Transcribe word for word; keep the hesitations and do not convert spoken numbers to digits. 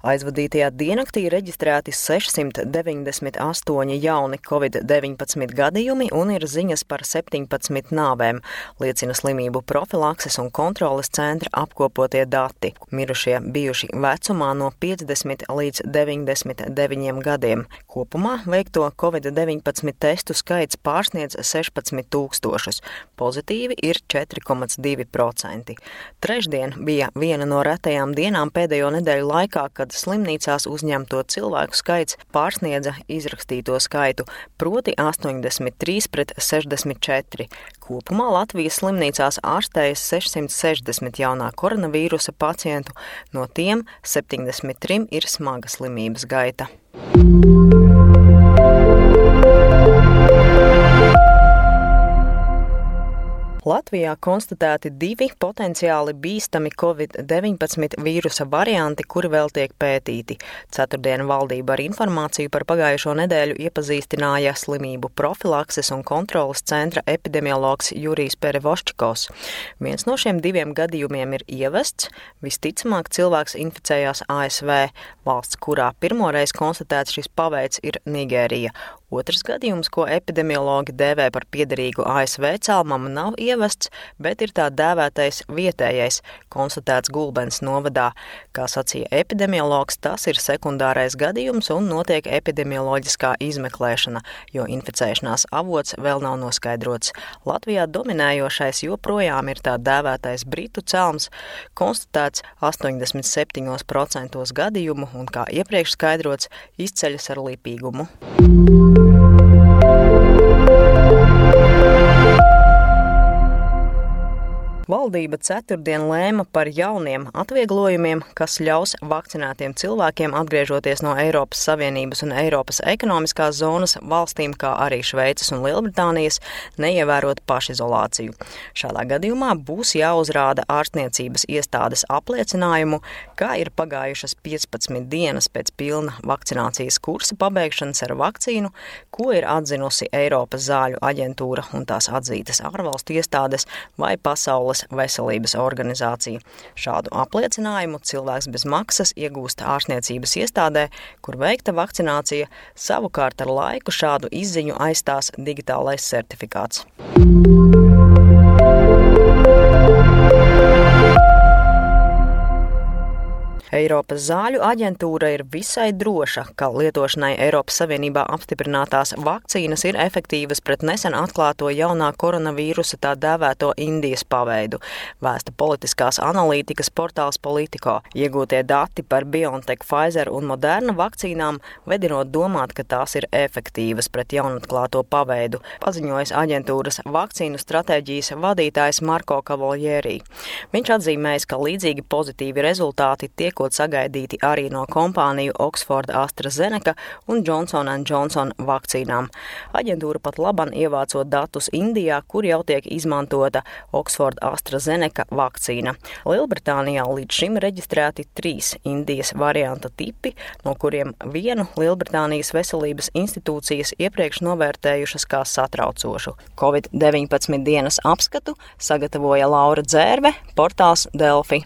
Aizvadītajā diennaktī reģistrēti sešsimt deviņdesmit astoņi jauni covid deviņpadsmit gadījumi un ir ziņas par septiņpadsmit nāvēm, liecina slimību profilakses un kontroles centra apkopotie dati. Mirušie bijuši vecumā no piecdesmit līdz deviņdesmit deviņiem gadiem. Kopumā veikto covid deviņpadsmit testu skaits pārsniedz sešpadsmit tūkstošus. Pozitīvi ir četri komats divi procenti. Trešdien bija viena no retajām dienām pēdējo nedēļu laikā, kad slimnīcās uzņemto cilvēku skaits pārsniedza izrakstīto skaitu, proti astoņdesmit trīs pret sešdesmit četri. Kopumā Latvijas slimnīcās ārstējas sešsimt sešdesmit jaunā koronavīrusa pacientu, no tiem septiņdesmit trim ir smaga slimības gaita. Latvijā konstatēti divi potenciāli bīstami covid deviņpadsmit vīrusa varianti, kuri vēl tiek pētīti. Ceturtdien valdība ar informāciju par pagājušo nedēļu iepazīstināja slimību profilakses un kontroles centra epidemiologs Jurijs Perevoščikovs. Viens no šiem diviem gadījumiem ir ievests. Visticamāk, cilvēks inficējās A S V. Valsts, kurā pirmoreiz konstatēts šis paveids, ir Nigērija. Otrs gadījums, ko epidemiologi dēvē par piederīgu A S V cēlmam, nav ievests, bet ir tā dēvētais vietējais, konstatēts Gulbenes novadā. Kā sacīja epidemiologs, tas ir sekundārais gadījums un notiek epidemioloģiskā izmeklēšana, jo inficēšanās avots vēl nav noskaidrots. Latvijā dominējošais joprojām ir tā dēvētais britu cēlms, konstatēts astoņdesmit septiņos procentos gadījumu un, kā iepriekš skaidrots, izceļas ar lipīgumu. Valdība ceturtdien lēma par jauniem atvieglojumiem, kas ļaus vakcinētiem cilvēkiem atgriežoties no Eiropas Savienības un Eiropas ekonomiskās zonas valstīm, kā arī Šveices un Lielbritānijas, neievērot pašizolāciju. Šādā gadījumā būs jāuzrāda ārstniecības iestādes apliecinājumu, kā ir pagājušas piecpadsmit dienas pēc pilna vakcinācijas kursa pabeigšanas ar vakcīnu, ko ir atzinusi Eiropas zāļu aģentūra un tās atzītas ārvalstu iestādes vai Pasaules veselības organizācija. Šādu apliecinājumu cilvēks bez maksas iegūst ārstniecības iestādē, kur veikta vakcinācija. Savukārt ar laiku šādu izziņu aizstās digitālais certifikāts. Eiropas zāļu aģentūra ir visai droša, ka lietošanai Eiropas Savienībā apstiprinātās vakcīnas ir efektīvas pret nesen atklāto jaunā koronavīrusa tā dēvēto Indijas paveidu, vēsta politiskās analītikas portāls Politico. Iegūtie dati par BioNTech, Pfizer un Moderna vakcīnām vedinot domāt, ka tās ir efektīvas pret jaunatklāto paveidu, paziņojas aģentūras vakcīnu stratēģijas vadītājs Marko Kavoljērī. Viņš atzīmējis, ka līdzīgi pozitīvi rezultāti tiekot sagaidīti arī no kompāniju Oxford AstraZeneca un Johnson and Johnson vakcīnām. Aģentūra pat laban ievācot datus Indijā, kur jau tiek izmantota Oxford AstraZeneca vakcīna. Lielbritānijā līdz šim reģistrēti trīs Indijas varianta tipi, no kuriem vienu Lielbritānijas veselības institūcijas iepriekš novērtējušas kā satraucošu. covid deviņpadsmit dienas apskatu sagatavoja Laura Dzērve, portāls Delfi.